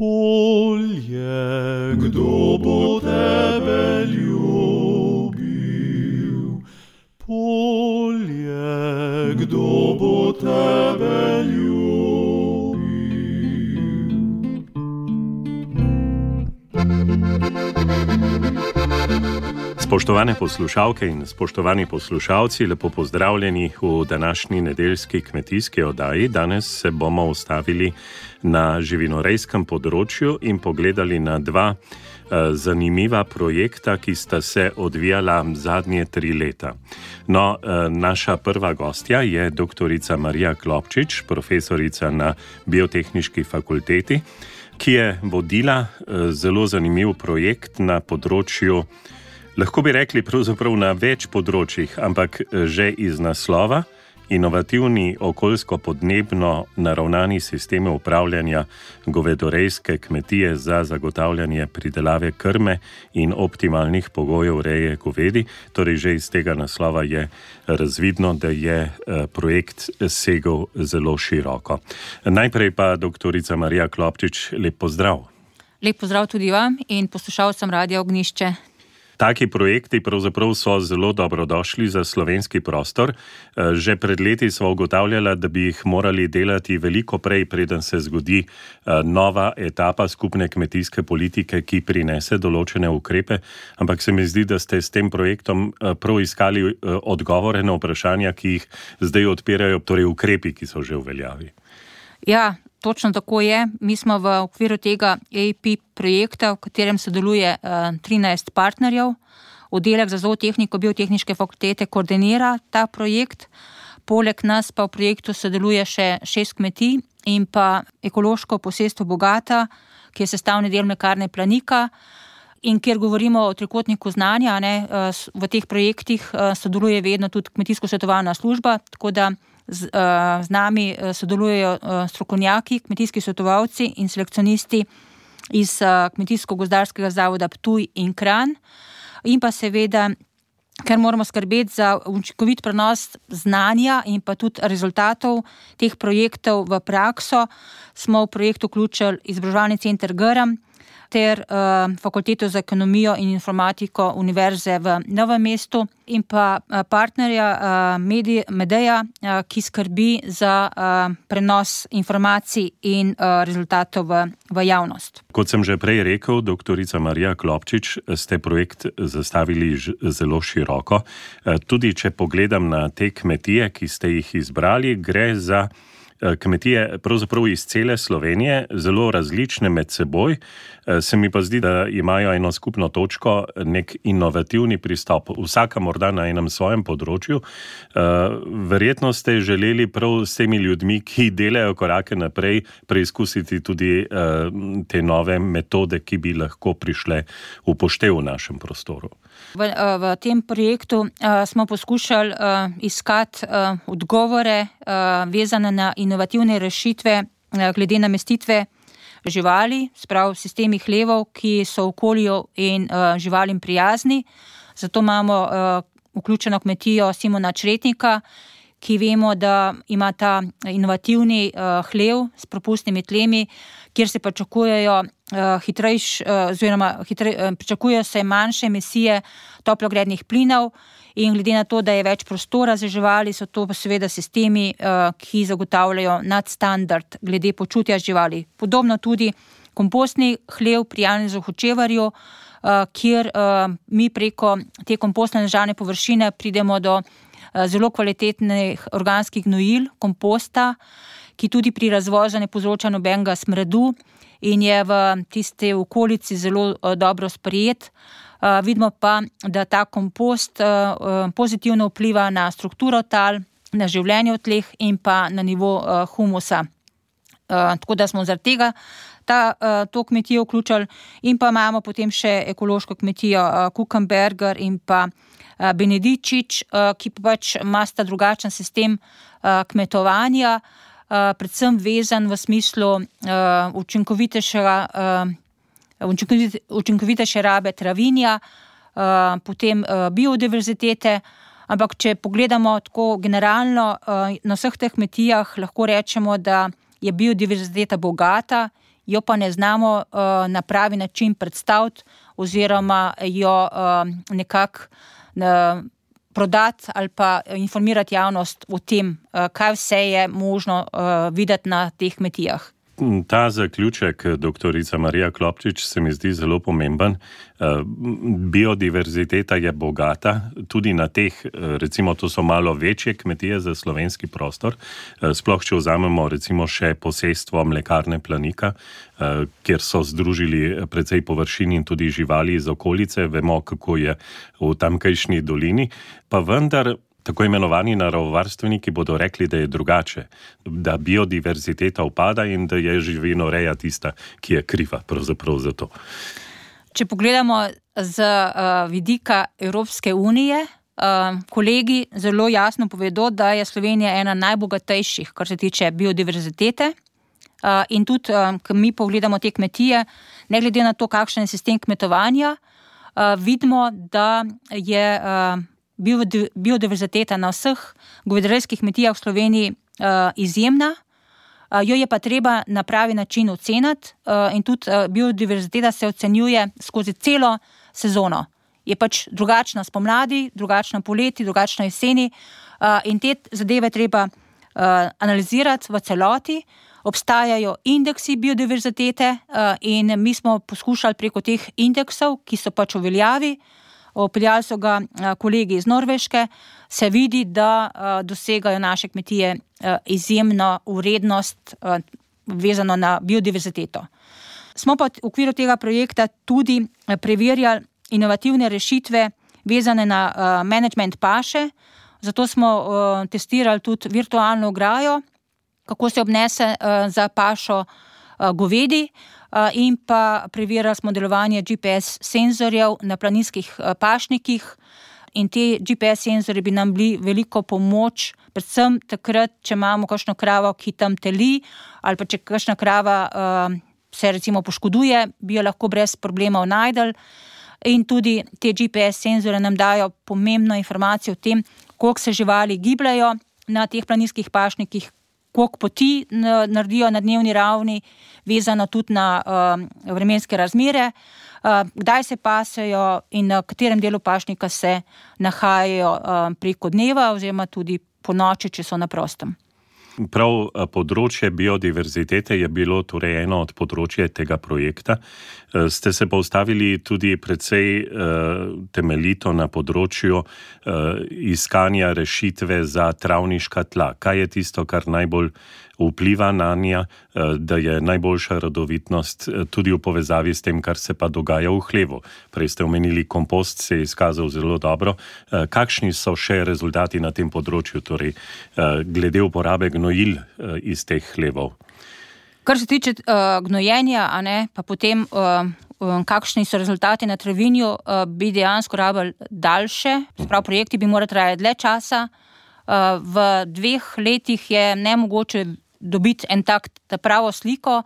Polje, kdo bo tebe ljubil? Polje, kdo bo tebe ljubil? Spoštovane poslušalke in spoštovani poslušalci, lepo pozdravljeni v današnji nedeljski kmetijski oddaji. Danes se bomo ustavili na živinorejskem področju in pogledali na dva zanimiva projekta, ki sta se odvijala zadnje 3 leta. No, naša prva gostja je doktorica Marija Klopčič, profesorica na Biotehniški fakulteti, ki je vodila zelo zanimiv projekt na področju, lahko bi rekli pravzaprav na več področjih, ampak že iz naslova inovativni okoljsko-podnebno naravnani sistemi upravljanja govedorejske kmetije za zagotavljanje pridelave krme in optimalnih pogojev reje govedi. Torej že iz tega naslova je razvidno, da je projekt segel zelo široko. Najprej pa doktorica Marija Klopčič, lep pozdrav. Lep pozdrav tudi vam in poslušalcem Radia Ognjišče. Taki projekti pravzaprav so zelo dobrodošli za slovenski prostor. Že pred leti smo ugotavljali, da bi jih morali delati veliko prej, preden se zgodi nova etapa skupne kmetijske politike, ki prinese določene ukrepe. Ampak se mi zdi, da ste s tem projektom prav iskali odgovore na vprašanja, ki jih zdaj odpirajo, torej ukrepi, ki so že v veljavi. Ja, točno tako je. Mi smo v okviru tega EIP projekta, v katerem sodeluje 13 partnerjev. Oddelek za zootehniko Biotehniške fakultete koordinira ta projekt. Poleg nas pa v projektu sodeluje še 6 kmetij in pa ekološko posestvo Bogata, ki je sestavni del mlekarne Planika. In kjer govorimo o trikotniku znanja, v teh projektih sodeluje vedno tudi kmetijsko-svetovalna služba, tako da z nami sodelujejo strokovnjaki, kmetijski svetovalci in selekcionisti iz Kmetijsko-gozdarskega zavoda Ptuj in Kranj. In pa seveda, ker moramo skrbeti za učinkovit prenos znanja in pa tudi rezultatov teh projektov v prakso, smo v projekt vključili izobraževalni center Grm ter Fakulteto za ekonomijo in informatiko Univerze v Novem mestu in pa partnerja Medeja, ki skrbi za prenos informacij in rezultatov v javnost. Kot sem že prej rekel, doktorica Marija Klopčič, ste projekt zastavili zelo široko. Tudi če pogledam na te kmetije, ki ste jih izbrali, gre za kmetije pravzaprav iz cele Slovenije, zelo različne med seboj. Se mi pa zdi, da imajo eno skupno točko, nek inovativni pristop, vsaka morda na enem svojem področju. Verjetno ste želeli prav s temi ljudmi, ki delajo korake naprej, preizkusiti tudi te nove metode, ki bi lahko prišle v poštev v našem prostoru. V tem projektu smo poskušali iskati odgovore vezane na inovativne rešitve glede namestitve živali, sprav sistemi hlevov, ki so okolju in živalim prijazni. Zato imamo vključeno kmetijo Simona Čretnika, ki vemo, da ima ta inovativni hlev s propustnimi tlemi, kjer se pričakujejo pričakujejo se manjše emisije toplogrednih plinov in glede na to, da je več prostora za živali, so to seveda sistemi, ki zagotavljajo nadstandard glede počutja živali. Podobno tudi kompostni hlev pri Janezu Hočevarju, kjer mi preko te kompostne ležalne površine pridemo do zelo kvalitetnih organskih gnojil, komposta, ki tudi pri razvozu ne povzroča nobenega smradu in je v tisti okolici zelo dobro sprejet. Vidimo pa, da ta kompost pozitivno vpliva na strukturo tal, na življenje v tleh in pa na nivo humusa. Tako da smo zaradi tega to kmetijo vključili in pa imamo potem še ekološko kmetijo Kukenberger in pa Benedičič, ki pač imata drugačen sistem kmetovanja, predvsem vezan v smislu učinkovitejše rabe travinja, potem biodiverzitete, ampak če pogledamo tako generalno na vseh teh kmetijah, lahko rečemo, da je biodiverziteta bogata jo pa ne znamo na pravi način predstaviti oziroma jo nekako prodati ali pa informirati javnost o tem, kaj vse je možno videti na teh kmetijah. Ta zaključek, doktorica Marija Klopčič, se mi zdi zelo pomemben. Biodiverziteta je bogata, tudi na teh, recimo to so malo večje kmetije za slovenski prostor, sploh če vzamemo recimo še posestvo mlekarne Planika, kjer so združili precej površin in tudi živali iz okolice, vemo, kako je v tamkajšnji dolini, pa vendar tako imenovani naravovarstveniki bodo rekli, da je drugače, da biodiverziteta upada in da je živinoreja tista, ki je kriva pravzaprav za to. Če pogledamo z vidika Evropske unije, kolegi zelo jasno povedo, da je Slovenija ena najbogatejših, kar se tiče biodiverzitete. In tudi, ko mi pogledamo te kmetije, ne glede na to, kakšen je sistem kmetovanja, vidimo, da je biodiverziteta na vseh govedarskih kmetijah v Sloveniji izjemna, jo je pa treba na pravi način oceniti in tudi biodiverziteta se ocenjuje skozi celo sezono. Je pač drugačna spomladi, drugačna poleti, drugačna jeseni in te zadeve treba analizirati v celoti. Obstajajo indeksi biodiverzitete in mi smo poskušali preko teh indeksov, ki so pač v veljavi, opeljali so ga kolegi iz Norveške, se vidi, da dosegajo naše kmetije izjemno vrednost vezano na biodiverziteto. Smo pa v okviru tega projekta tudi preverjali inovativne rešitve vezane na management paše, zato smo testirali tudi virtualno ograjo, kako se obnese za pašo govedi, in pa preverjali smo delovanje GPS senzorjev na planinskih pašnikih in te GPS senzorji bi nam bili veliko pomoč, predvsem takrat, če imamo kakšno kravo, ki tam teli ali pa če kakšna krava se recimo poškoduje, bi jo lahko brez problemov najdel in tudi te GPS senzorje nam dajo pomembno informacijo o tem, koliko se živali gibljajo na teh planinskih pašnikih, koliko poti naredijo na dnevni ravni, vezano tudi na vremenske razmere, kdaj se pasejo in na katerem delu pašnika se nahajajo preko dneva oziroma tudi po noči, če so na prostem. Prav področje biodiverzitete je bilo torej eno od področje tega projekta. Ste se postavili tudi precej temeljito na področju iskanja rešitve za travniška tla. Kaj je tisto, kar najbolj vpliva na nja, da je najboljša rodovitnost tudi v povezavi s tem, kar se pa dogaja v hlevu? Prej ste omenili kompost, se je izkazal zelo dobro. Kakšni so še rezultati na tem področju, torej glede uporabe gnojil iz teh hlevov? Kar se tiče gnojenja, pa potem kakšni so rezultati na travinju, bi dejansko rabili daljše, sprav projekti bi morali trajati dlje časa. V 2 letih je nemogoče dobiti en tak pravo sliko,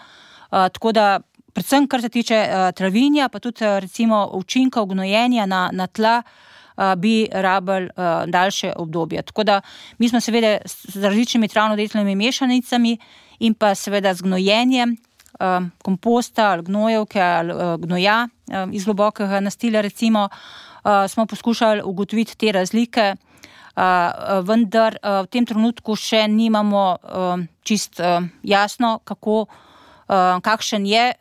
tako da predvsem kar se tiče travinja, pa tudi recimo učinkov gnojenja na tla, bi rabili daljše obdobje. Tako da mi smo seveda z različnimi travno-delitvenimi mešanicami in pa seveda z gnojenjem komposta ali gnojevke ali gnoja iz globokega nastilja recimo, smo poskušali ugotoviti te razlike, vendar v tem trenutku še nimamo čist jasno, kakšen je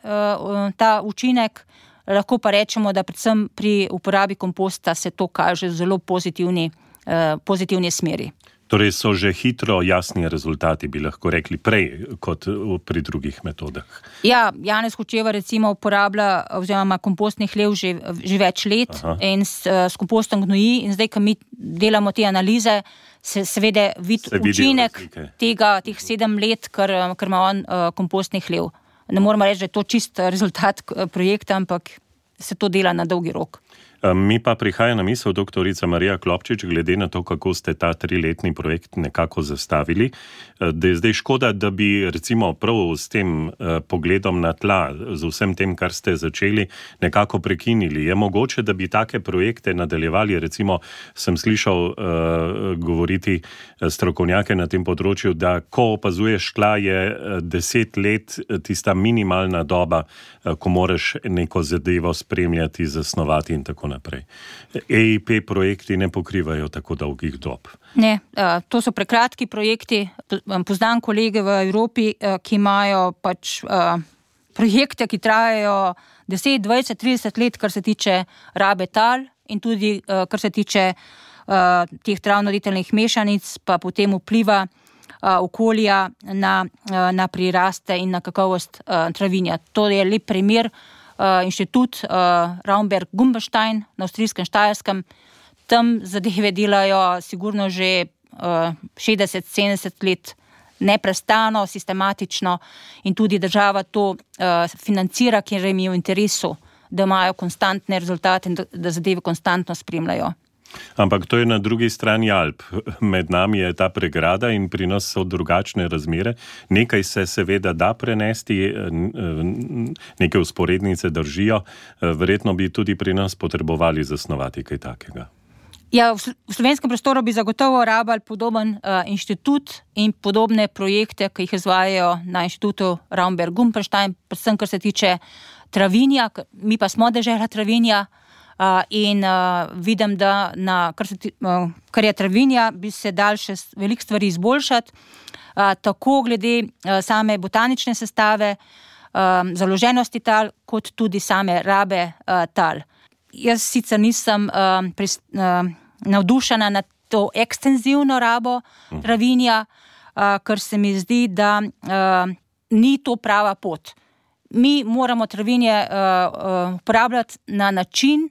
ta učinek. Lahko pa rečemo, da predvsem pri uporabi komposta se to kaže v zelo pozitivni smeri. Torej so že hitro jasni rezultati, bi lahko rekli, prej kot pri drugih metodah. Ja, Janez Hočevar recimo uporablja oziroma kompostni hlev že več let. Aha. In s kompostom gnoji in zdaj, ko mi delamo te analize, se seveda vidi učinek teh 7 let, ker ima on kompostni hlev. Ne moramo reči, da je to čist rezultat projekta, ampak se to dela na dolgi rok. Mi pa prihaja na misel doktorica Marija Klopčič, glede na to, kako ste ta 3-letni projekt nekako zastavili, da je zdaj škoda, da bi recimo prav s tem pogledom na tla, z vsem tem, kar ste začeli, nekako prekinili. Je mogoče, da bi take projekte nadaljevali? Recimo sem slišal govoriti strokovnjake na tem področju, da ko opazuješ tla, je 10 let tista minimalna doba, ko moraš neko zadevo spremljati, zasnovati in tako naprej. EIP projekti ne pokrivajo tako dolgih dob. Ne, to so prekratki projekti. Poznam kolege v Evropi, ki imajo pač projekte, ki trajajo 10, 20, 30 let, kar se tiče rabe tal in tudi kar se tiče teh travno-roditelnih mešanic, pa potem vpliva okolja na priraste in na kakovost travinja. To je lep primer. Inštitut Raumberg-Gumberstein na avstrijskem Štajerskem. Tam zadeve delajo sigurno že 60-70 let neprestano, sistematično in tudi država to financira, ker jim je v interesu, da imajo konstantne rezultate in da zadeve konstantno spremljajo. Ampak to je na drugi strani Alp. Med nami je ta pregrada in pri nas so drugačne razmere. Nekaj se seveda da prenesti, neke vzporednice držijo. Verjetno bi tudi pri nas potrebovali zasnovati kaj takega. Ja, v slovenskem prostoru bi zagotovo rabili podoben inštitut in podobne projekte, ki jih izvajajo na inštitutu Raumberg-Gumberstein, predvsem kar se tiče travinja, mi pa smo dežela travinja. In vidim, da kar je travinja, bi se dal še veliko stvari izboljšati, tako glede same botanične sestave, založenosti tal, kot tudi same rabe tal. Jaz sicer nisem navdušena nad to ekstenzivno rabo travinja, ker se mi zdi, da ni to prava pot. Mi moramo travinje uporabljati na način,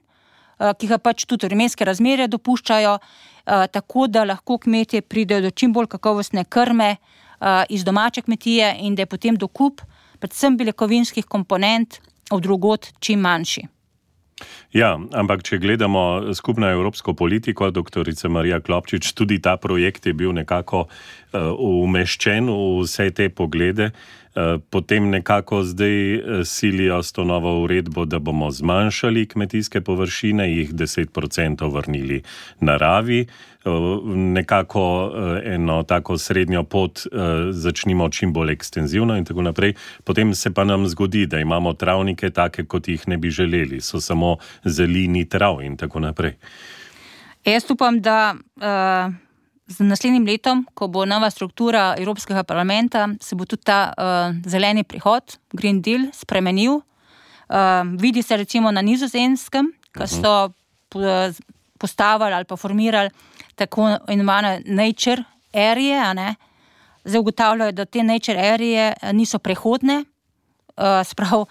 ki ga pač tudi vremenske razmere dopuščajo, tako da lahko kmetje pridejo do čim bolj kakovostne krme iz domače kmetije in da je potem dokup, predvsem beljakovinskih komponent, od drugod čim manjši. Ja, ampak če gledamo skupno evropsko politiko, doktorica Marija Klopčič, tudi ta projekt je bil nekako umeščen v vse te poglede. Potem nekako zdaj silijo s to novo uredbo, da bomo zmanjšali kmetijske površine, jih 10% vrnili naravi. Nekako eno tako srednjo pot začnimo čim bolj ekstenzivno in tako naprej. Potem se pa nam zgodi, da imamo travnike take, kot jih ne bi želeli. So samo zelini trav in tako naprej. Jaz upam, da z naslednjim letom, ko bo nova struktura Evropskega parlamenta, se bo tudi ta zeleni prihod, Green Deal, spremenil. Vidi se recimo na Nizozemskem, ko so postavili ali pa formirali tako imenovane nature area, Zdaj ugotavljajo, da te nature area niso prehodne, sprav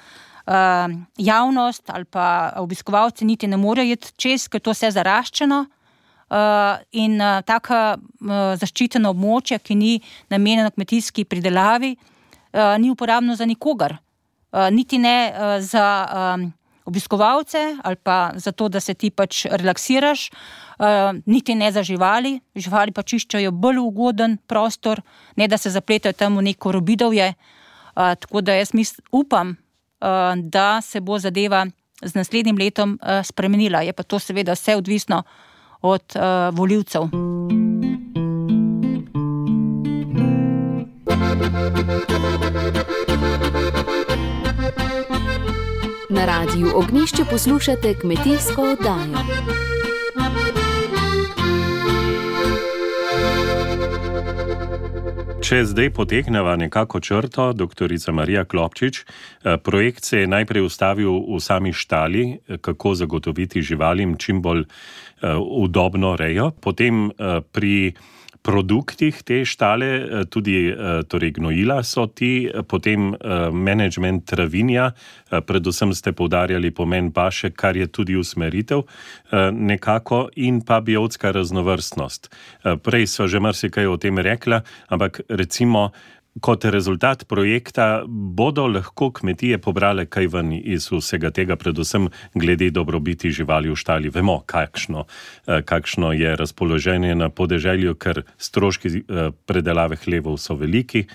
javnost ali pa obiskovalci niti ne morejo iti čez, ker to vse zaraščeno. In taka zaščiteno območje, ki ni namenjeno kmetijski pridelavi, ni uporabno za nikogar. Niti ne za obiskovalce ali pa za to, da se ti pač relaksiraš, niti ne za živali. Živali pa čiščajo bolj ugoden prostor, ne da se zapletajo tam v neko robidovje. Tako da jaz upam, da se bo zadeva z naslednjim letom spremenila. Je pa to seveda vse odvisno od volivcev. Na Radiu Ognjišče poslušate kmetijsko oddajo. Če zdaj potegneva nekako črto, doktorica Marija Klopčič, projekt se je najprej ustavil v sami štali, kako zagotoviti živalim čim bolj udobno rejo, potem pri produktih te štale, tudi torej gnojila so ti, potem management travinja, predvsem ste poudarjali pomen paše, kar je tudi usmeritev nekako, in pa biotska raznovrstnost. Prej sva že marsikaj o tem rekla, ampak recimo kot rezultat projekta bodo lahko kmetije pobrale kaj ven iz vsega tega, predvsem glede dobrobiti živali v štali. Vemo, kakšno je razpoloženje na podeželju, ker stroški predelave hlevov so veliki,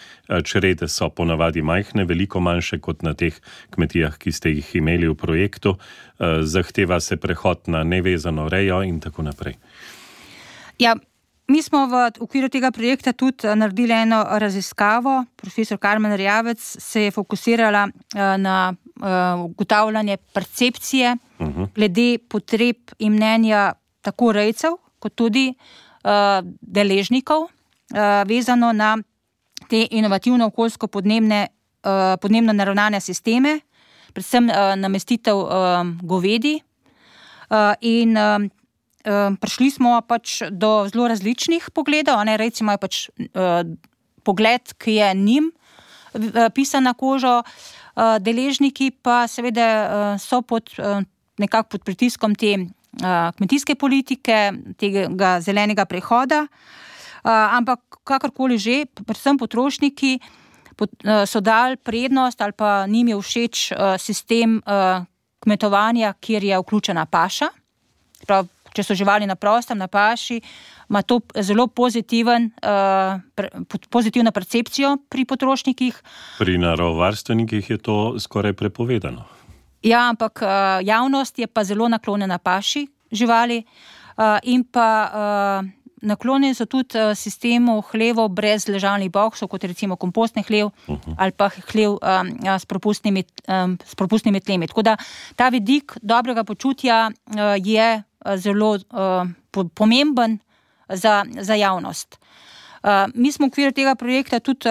črede so ponavadi majhne, veliko manjše kot na teh kmetijah, ki ste jih imeli v projektu. Zahteva se prehod na nevezano rejo in tako naprej. Ja, mi smo v okviru tega projekta tudi naredili eno raziskavo. Profesor Karmen Erjavec se je fokusirala na ugotavljanje percepcije glede potreb in mnenja tako rejcev, kot tudi deležnikov, vezano na te inovativno okoljsko podnebno naravnane sisteme, predvsem namestitev govedi in prišli smo pač do zelo različnih pogledov, rejci imajo pač pogled, ki je njim pisan na kožo, deležniki pa seveda so nekako pod pritiskom te kmetijske politike, tega zelenega prehoda, ampak kakorkoli že, predvsem potrošniki so dali prednost ali pa njim je všeč sistem kmetovanja, kjer je vključena paša. Če so živali na prostem, na paši, ima to zelo pozitivno percepcijo pri potrošnikih. Pri naravovarstvenikih je to skoraj prepovedano. Ja, ampak javnost je pa zelo naklonjena paši živali in pa naklonjeni so tudi sistemu hlevov brez ležalnih boksov, kot recimo kompostni hlev ali pa hlev s propustnimi tlemi. Tako da ta vidik dobrega počutja je zelo pomemben za javnost. Mi smo v okviru tega projekta tudi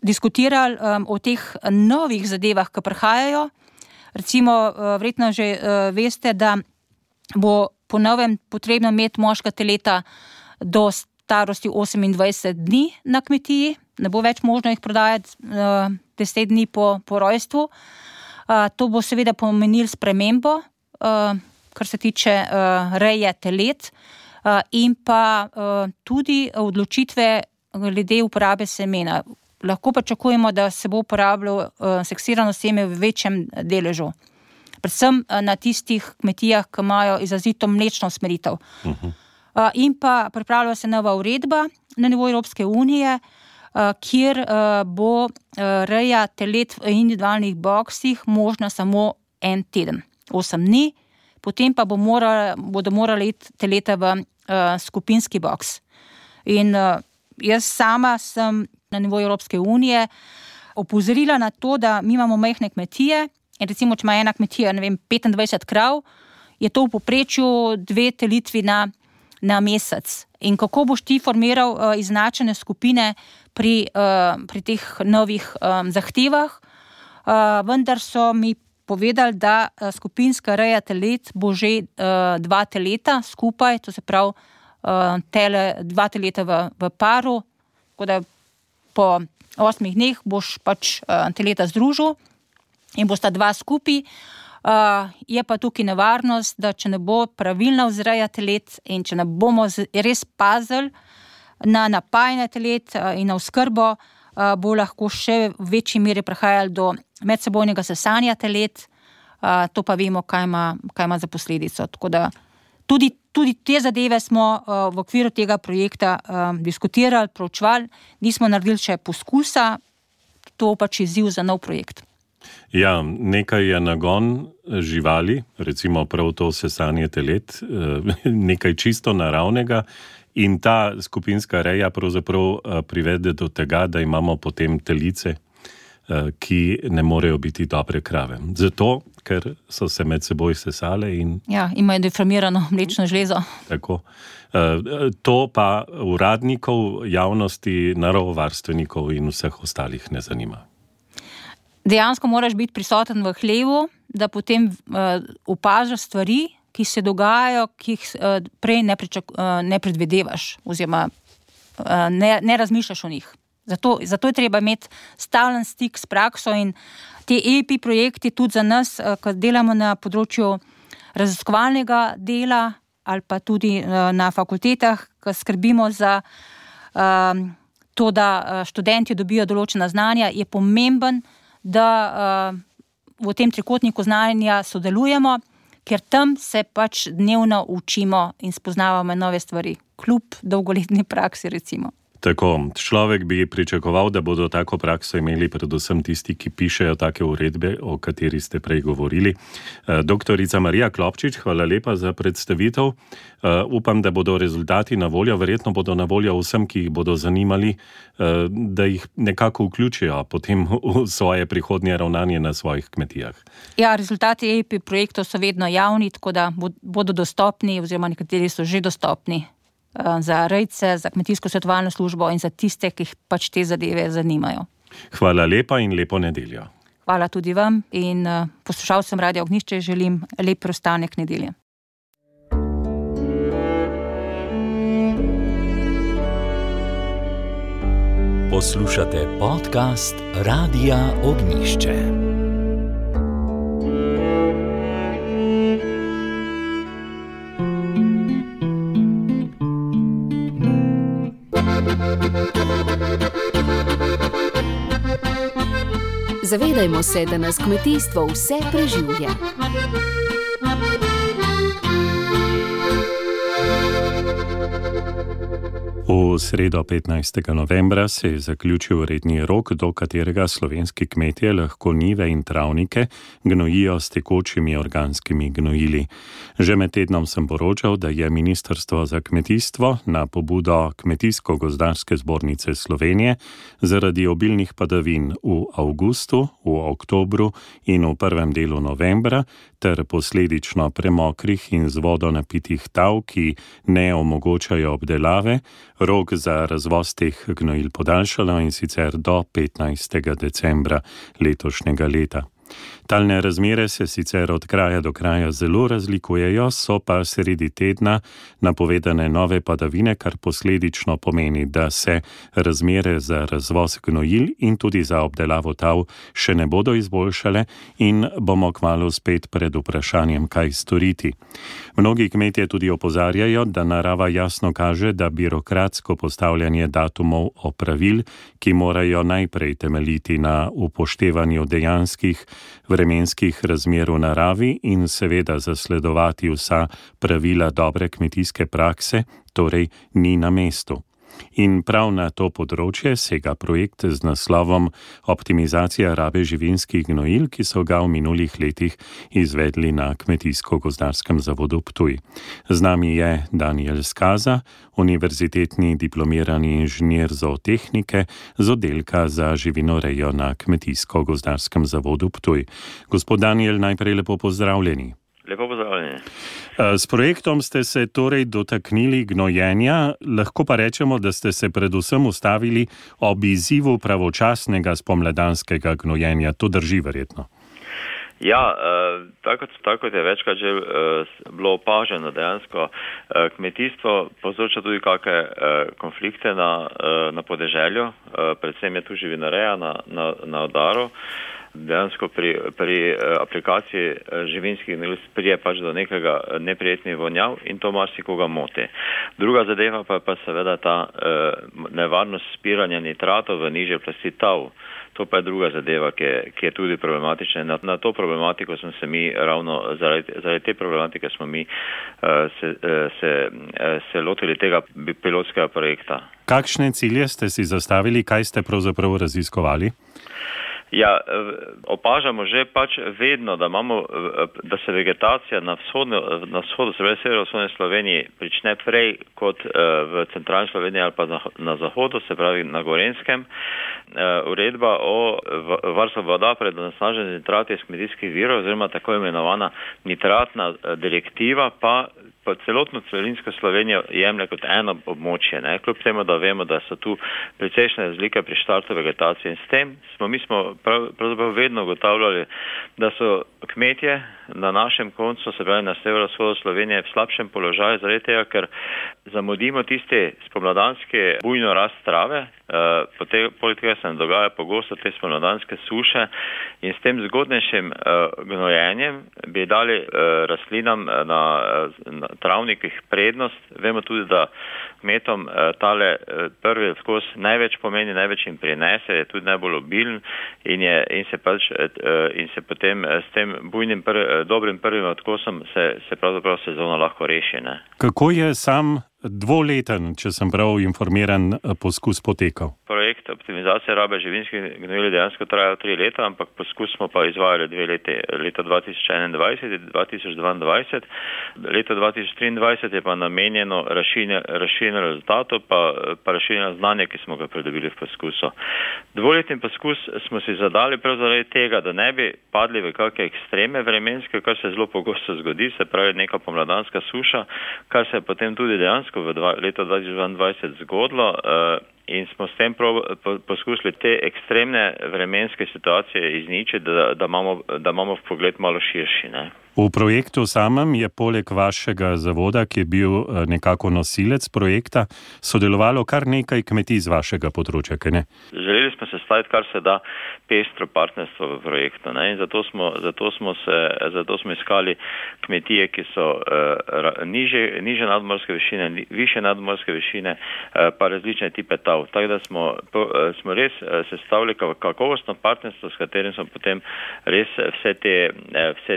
diskutirali o teh novih zadevah, ki prihajajo. Recimo, verjetno že veste, da bo po novem potrebno imeti moška teleta do starosti 28 dni na kmetiji. Ne bo več možno jih prodajati 10 dni po rojstvu. To bo seveda pomenilo spremembo, kar se tiče reje telet in pa tudi odločitve glede uporabe semena. Lahko pričakujemo, da se bo uporabljalo seksirano seme v večjem deležu. Predvsem na tistih kmetijah, ki imajo izrazito mlečno usmeritev. In pa pripravlja se nova uredba na nivoju Evropske unije, kjer bo reja telet v individualnih boksih možna samo en teden, 8 dni. Potem pa bodo morali iti teleta v skupinski boks. In jaz sama sem na nivoju Evropske unije opozorila na to, da mi imamo majhne kmetije in recimo, če ima ena kmetija, 25 krav, je to v povprečju 2 telitvi na mesec. In kako boš ti formiral izenačene skupine pri teh novih zahtevah? Vendar so mi povedali, da skupinska reja telet bo že 2 teleta skupaj, to se pravi 2 teleta v paru, tako da po 8 dneh boš pač teleta združil in bosta 2 skupaj. Je pa tukaj nevarnost, da če ne bo pravilna vzreja telet in če ne bomo res pazili na napajanje telet in na oskrbo, bo lahko še v večji meri prihajalo do medsebojnega sesanja telet, to pa vemo, kaj ima za posledico. Tako da tudi te zadeve smo v okviru tega projekta diskutirali, proučevali, nismo naredili še poskusa, to pač izziv za nov projekt. Ja, nekaj je nagon živali, recimo prav to sesanje telet, nekaj čisto naravnega. In ta skupinska reja pravzaprav privede do tega, da imamo potem telice, ki ne morejo biti dobre krave. Zato, ker so se med seboj sesale in... Ja, imajo deformirano mlečno žlezo. Tako. To pa uradnikov, javnosti, naravovarstvenikov in vseh ostalih ne zanima. Dejansko moraš biti prisoten v hlevu, da potem opažaš stvari, ki se dogajajo, ki jih prej ne predvidevaš oziroma ne razmišljaš o njih. Zato je treba imeti stalen stik s prakso in te EIP projekti tudi za nas, ko delamo na področju raziskovalnega dela ali pa tudi na fakultetah, ko skrbimo za to, da študenti dobijo določena znanja, je pomemben, da v tem trikotniku znanja sodelujemo, ker tam se pač dnevno učimo in spoznavamo nove stvari, kljub dolgoletni praksi recimo. Tako, človek bi pričakoval, da bodo tako prakso imeli predvsem tisti, ki pišejo take uredbe, o kateri ste prej govorili. Doktorica Marija Klopčič, hvala lepa za predstavitev. Upam, da bodo rezultati na voljo, verjetno bodo na voljo vsem, ki jih bodo zanimali, da jih nekako vključijo potem v svoje prihodnje ravnanje na svojih kmetijah. Ja, rezultati EIP projektov so vedno javni, tako da bodo dostopni, oziroma nekateri so že dostopni za rejce, za kmetijsko svetovalno službo in za tiste, ki jih pač te zadeve zanimajo. Hvala lepa in lepo nedeljo. Hvala tudi vam in poslušalcem Radia Ognjišče želim lep preostanek nedelje. Poslušate podcast Radia Ognjišče. Zavedajmo se, da nas kmetijstvo vse preživlja. V sredo 15. novembra se je zaključil redni rok, do katerega slovenski kmetje lahko njive in travnike gnojijo s tekočimi organskimi gnojili. Že med tednom sem poročal, da je Ministrstvo za kmetijstvo na pobudo Kmetijsko-gozdarske zbornice Slovenije zaradi obilnih padavin v avgustu, v oktobru in v prvem delu novembra ter posledično premokrih in z vodo napitih tav, ki ne omogočajo obdelave, rok za razvoz teh gnojil podaljšala in sicer do 15. decembra letošnjega leta. Talne razmere se sicer od kraja do kraja zelo razlikujejo, so pa sredi tedna napovedane nove padavine, kar posledično pomeni, da se razmere za razvoz gnojil in tudi za obdelavo tav še ne bodo izboljšale in bomo kmalu spet pred vprašanjem, kaj storiti. Mnogi kmetje tudi opozarjajo, da narava jasno kaže, da birokratsko postavljanje datumov opravil, ki morajo najprej temeljiti na upoštevanju dejanskih vremenskih razmer v naravi in seveda zasledovati vsa pravila dobre kmetijske prakse, torej ni na mestu. In prav na to področje sega projekt z naslovom Optimizacija rabe živinskih gnojil, ki so ga v minulih letih izvedli na Kmetijsko-gozdarskem zavodu Ptuj. Z nami je Daniel Skaza, univerzitetni diplomirani inženir zootehnike z oddelka za živinorejo na Kmetijsko-gozdarskem zavodu Ptuj. Gospod Daniel, najprej lepo pozdravljeni. Lepo pozdravljeni. S projektom ste se torej dotaknili gnojenja, lahko pa rečemo, da ste se predvsem ustavili ob izzivu pravočasnega spomladanskega gnojenja. To drži verjetno? Ja, tako kot je večkrat že bilo opaženo dejansko, kmetijstvo povzroča tudi kakšne konflikte na podeželju, predvsem je tu živinoreja na udaru. Dejansko pri aplikaciji živinskih gnojil pride pač do nekega neprijetnih vonjav in to marsikoga moti. Druga zadeva pa je seveda ta nevarnost spiranja nitratov v nižje plasti tav. To pa je druga zadeva, ki je tudi problematična. Na to problematiko smo se mi ravno zaradi te problematike smo mi se lotili tega pilotskega projekta. Kakšne cilje ste si zastavili, kaj ste pravzaprav raziskovali? Ja, opažamo že pač vedno, da se vegetacija na vzhodu, se pravi severovzhodne Sloveniji, prične prej kot v centralni Sloveniji ali pa na zahodu, se pravi na Gorenjskem. Uredba o varstvu voda pred onesnaženjem nitrati iz kmetijskih virov, oziroma tako imenovana nitratna direktiva, pa celotno celinsko Slovenijo jemlje kot eno območje, ne? Kljub temu, da vemo, da so tu precejšnje razlike pri štartu vegetacije in s tem mi smo pravzaprav vedno ugotavljali, da so kmetje na našem koncu, se pravi na severovzhodu Slovenije, v slabšem položaju zaradi tega, ker zamudimo tiste spomladanske bujno rast trave, Poleg tega se nam dogaja pogosto te spomladanske suše in s tem zgodnejšim gnojenjem bi dali rastlinam na travnikih prednost. Vemo tudi, da kmetom tale prvi odkos največ pomeni, največ jim prinese, je tudi najbolj obilen in se potem s tem bujnim dobrim prvim odkosom se pravzaprav sezona lahko reši. Ne? Kako je sam dvoleten, če sem prav informiran, poskus potekal? Projekt optimizacije rabe živinskih gnojil dejansko trajal 3 leta, ampak poskus smo pa izvajali 2 leti, leto 2021 in 2022. Leto 2023 je pa namenjeno razširjenju rezultatov pa razširjenju znanja, ki smo ga pridobili v poskusu. Dvoletni poskus smo si zadali prav zaradi tega, da ne bi padli v kakšne ekstreme vremenske, kar se zelo pogosto zgodi, se pravi neka pomladanska suša, kar se je potem tudi dejansko v leto 2022 zgodilo in smo s tem poskusili te ekstremne vremenske situacije izničiti, da imamo vpogled malo širši. Ne? V projektu samem je poleg vašega zavoda, ki je bil nekako nosilec projekta, sodelovalo kar nekaj kmetij z vašega področja, kaj ne? Želeli smo se staviti kar se da pestro partnerstvo v projektu, ne? In zato smo iskali kmetije, ki so niže nadmorske višine, više nadmorske višine, pa različne tipe tav. Tako da smo res sestavili kakovostno partnerstvo, s katerim smo potem res vse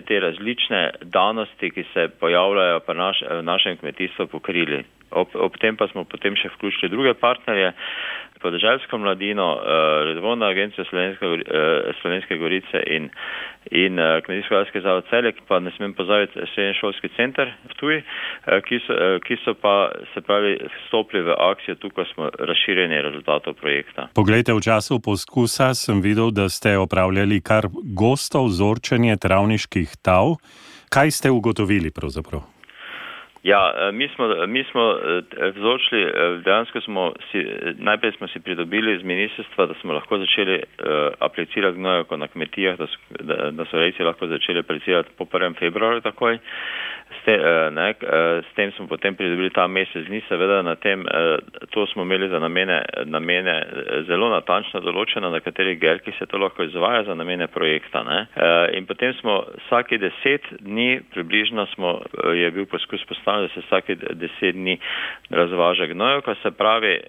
te različne danosti, ki se pojavljajo v našem kmetijstvu, pokrili. Ob tem pa smo potem še vključili druge partnerje, podeželsko mladino, Razvojno agencijo Slovenske Gorice in Kmetijsko-gozdarski zavod Celje, pa ne smem pozabiti srednješolski center v Ptuju, ki so pa se pravi vstopili v akcijo tukaj smo razširjeni rezultatov projekta. Poglejte, v času poskusa sem videl, da ste opravljali kar gosto vzorčenje travniških tav. Kaj ste ugotovili pravzaprav? Ja, mi smo vzorčili, dejansko najprej smo si pridobili z ministrstva, da smo lahko začeli aplicirati gnojevko na kmetijah, da so rejci lahko začeli aplicirati po 1. februarju takoj. S tem smo potem pridobili ta mesec dni, seveda na tem, to smo imeli za namene zelo natančno določeno, na katerih gerkih se to lahko izvaja za namene projekta. Ne? In potem smo vsaki 10 dni približno je bil poskus postavljen, da se vsaki 10 dni razvaža gnojevka, se pravi,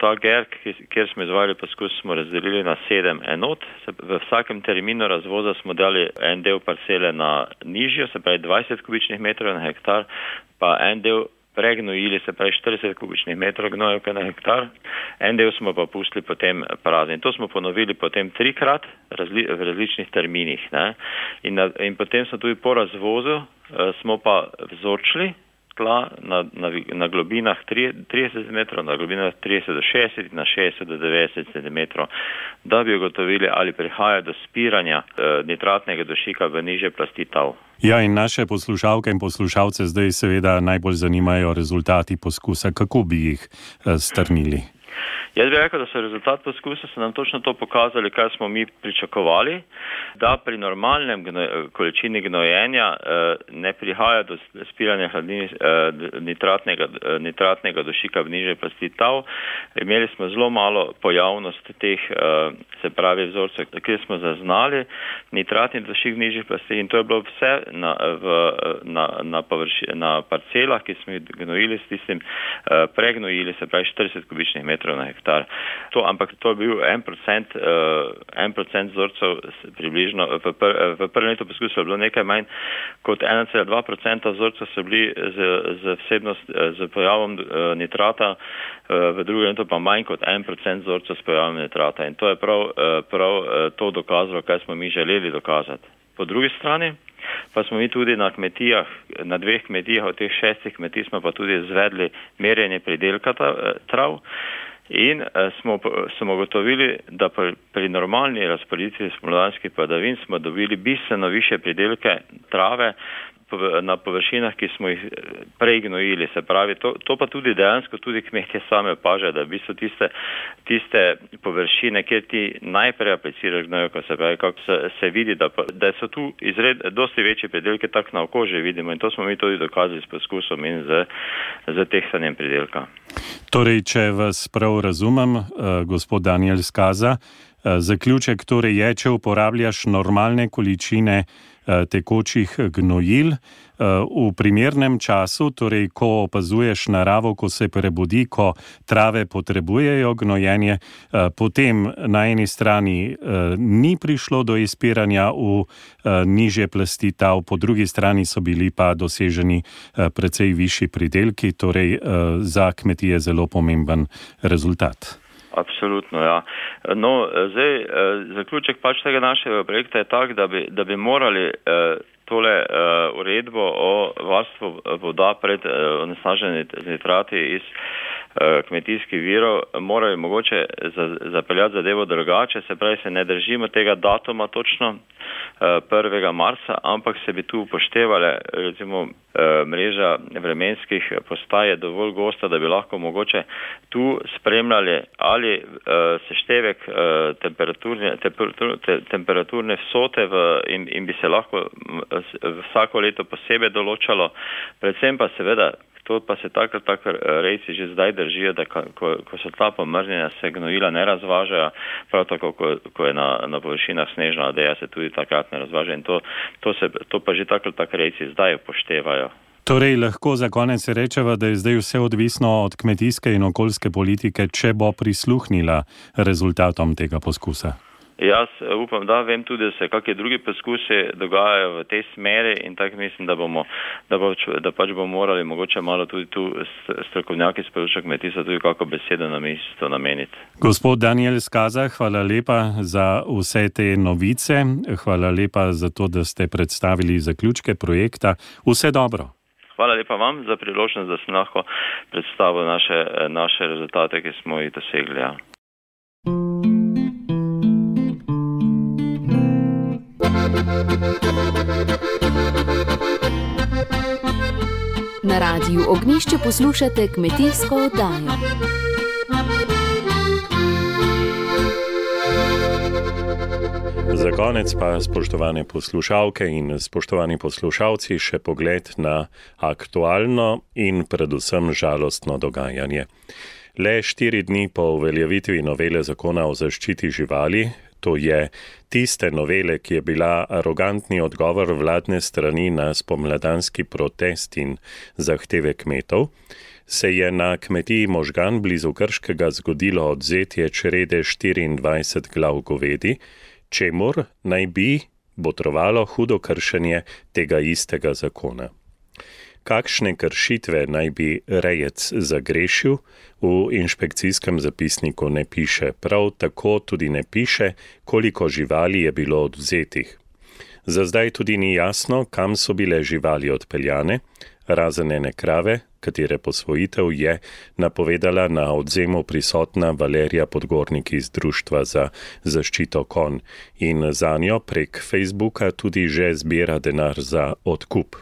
ta gerk, kjer smo izvajali poskus, smo razdelili na 7 enot. V vsakem terminu razvoza smo dali en del parcele na nižjo, se pravi 20 kubičnih metrov na hektar, pa en del pregnojili, se pravi 40 kubičnih metrov gnojevke na hektar. En del smo pa pustili potem prazen. To smo ponovili potem 3-krat v različnih terminih. Ne? In potem smo tudi po razvozu smo pa vzorčili tla na globinah 30 cm, na globinah 30 do 60, na 60 do 90 cm, da bi ugotovili, ali prihaja do spiranja nitratnega dušika v nižje plasti tav. Ja, in naše poslušalke in poslušalce zdaj seveda najbolj zanimajo rezultati poskusa. Kako bi jih strnili? Jaz bi rekel, da so rezultat poskusa se nam točno to pokazali, kar smo mi pričakovali, da pri normalnem količini gnojenja ne prihaja do spiranja hladnin nitratnega dušika v nižje plasti tav. Imeli smo zelo malo pojavnost teh, se pravi vzorcev, kjer smo zaznali nitratni dušik v nižjih plasti in to je bilo vse na parcelah, ki smo jih gnojili s tistim pregnojili, se pravi 40 kubičnih metrov na hektar. Ampak to je bil 1% vzorcev približno. V prvem letu poskusa je bilo nekaj manj kot 1,2% vzorcev so bili z pojavom nitrata, v drugem letu pa manj kot 1% vzorcev s pojavom nitrata. In to je prav to dokazalo, kaj smo mi želeli dokazati. Po drugi strani pa smo mi tudi na kmetijah, na 2 kmetijah, od teh 6 kmetij smo pa tudi izvedli merjenje pridelka trav. In smo ugotovili, da pri normalni razporeditvi spomladanskih padavin smo dobili bistveno više pridelke trave na površinah, ki smo jih prej gnojili. Se pravi, to pa tudi dejansko tudi kmetje same opažajo, da v bistvu tiste površine, kjer ti najprej apliciraš gnojevko, se pravi, kako se vidi, da so tu dosti večji pridelki, tako na oko že vidimo, in to smo mi tudi dokazali s poskusom in z tehtanjem pridelka. Torej, če vas prav razumem, gospod Daniel Skaza, zaključek torej je, če uporabljaš normalne količine tekočih gnojil v primernem času, torej ko opazuješ naravo, ko se prebudi, ko trave potrebujejo gnojenje, potem na eni strani ni prišlo do izpiranja v nižje plasti tal, po drugi strani so bili pa doseženi precej višji pridelki, torej za kmetije zelo pomemben rezultat. Absolutno, ja. No, zdaj, zaključek pač tega našega projekta je tak, da bi morali tole uredbo o varstvu voda pred onesnaženimi z nitrati iz kmetijskih virov morali mogoče zapeljati zadevo drugače, se pravi, se ne držimo tega datuma točno 1. marca, ampak se bi tu upoštevale, recimo, mreža vremenskih postaj je dovolj gosta, da bi lahko mogoče tu spremljali ali seštevek temperaturne vsote in bi se lahko vsako leto posebej določalo, predvsem pa seveda, to pa se tako rejci že zdaj držijo, da ko so ta pomrznjena, se gnojila ne razvažajo, prav tako, ko je na površinah snežna odeja, se tudi takrat ne razvaža in to pa že tako rejci zdaj upoštevajo. Torej, lahko za konec rečeva, da je zdaj vse odvisno od kmetijske in okoljske politike, če bo prisluhnila rezultatom tega poskusa. Jaz upam, da vem tudi, da se kakšni drugi poskusi dogajajo v tej smeri in tako mislim, da pač bomo morali mogoče malo tudi tu strokovnjaki s področja kmetijstva tudi kako besedo na mesto nameniti. Gospod Daniel Skaza, hvala lepa za vse te novice, hvala lepa za to, da ste predstavili zaključke projekta. Vse dobro. Hvala lepa vam za priložnost, da sem lahko predstavil naše rezultate, ki smo jih dosegli. Ja. Na Radiu Ognjišče poslušate kmetijsko oddajo. Za konec pa, spoštovane poslušalke in spoštovani poslušalci, še pogled na aktualno in predvsem žalostno dogajanje. Le 4 dni po uveljavitvi novele zakona o zaščiti živali, to je tiste novele, ki je bila arogantni odgovor vladne strani na spomladanski protest in zahteve kmetov, se je na kmetiji Možgan blizu Krškega zgodilo odvzetje črede 24 glav govedi, čemur naj bi botrovalo hudo kršenje tega istega zakona. Kakšne kršitve naj bi rejec zagrešil, v inšpekcijskem zapisniku ne piše, prav tako tudi ne piše, koliko živali je bilo odvzetih. Za zdaj tudi ni jasno, kam so bile živali odpeljane, razen ene krave, katere posvojitev je napovedala na odvzemu prisotna Valerija Podgornik iz Društva za zaščito konj in zanjo prek Facebooka tudi že zbira denar za odkup.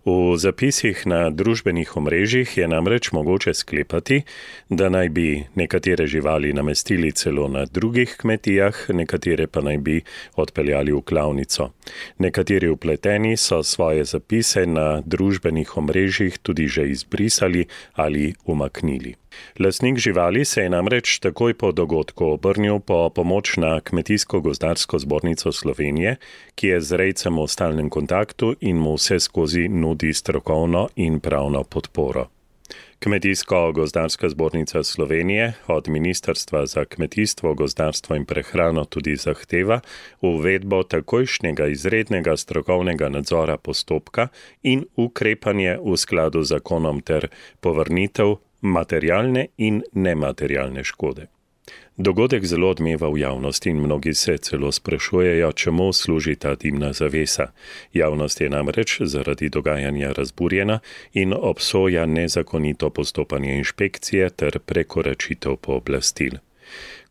V zapisih na družbenih omrežjih je namreč mogoče sklepati, da naj bi nekatere živali namestili celo na drugih kmetijah, nekatere pa naj bi odpeljali v klavnico. Nekateri vpleteni so svoje zapise na družbenih omrežjih tudi že izbrisali ali umaknili. Lastnik živali se je namreč takoj po dogodku obrnil po pomoč na Kmetijsko-gozdarsko zbornico Slovenije, ki je z rejcem v stalnem kontaktu in mu vse skozi nudi strokovno in pravno podporo. Kmetijsko-gozdarska zbornica Slovenije od Ministrstva za kmetijstvo, gozdarstvo in prehrano tudi zahteva uvedbo takojšnjega izrednega strokovnega nadzora postopka in ukrepanje v skladu z zakonom ter povrnitev materialne in nematerialne škode. Dogodek zelo odmeva v javnosti in mnogi se celo sprašujejo, čemu služi ta dimna zavesa. Javnost je namreč zaradi dogajanja razburjena in obsoja nezakonito postopanje inšpekcije ter prekoračitev pooblastil.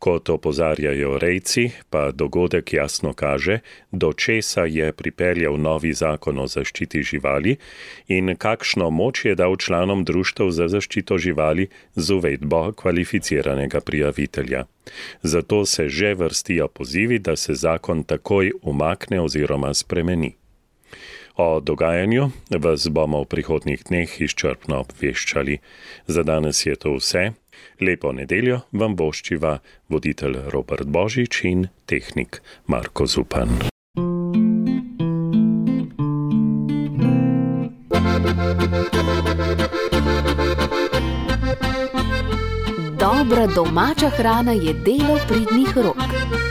Kot opozarjajo rejci, pa dogodek jasno kaže, do česa je pripeljal novi zakon o zaščiti živali in kakšno moč je dal članom društev za zaščito živali z uvedbo kvalificiranega prijavitelja. Zato se že vrstijo pozivi, da se zakon takoj umakne oziroma spremeni. O dogajanju vas bomo v prihodnjih dneh izčrpno obveščali. Za danes je to vse. Lepo nedeljo vam voščiva voditelj Robert Božič in tehnik Marko Zupan. Dobra domača hrana je delo pridnih rok.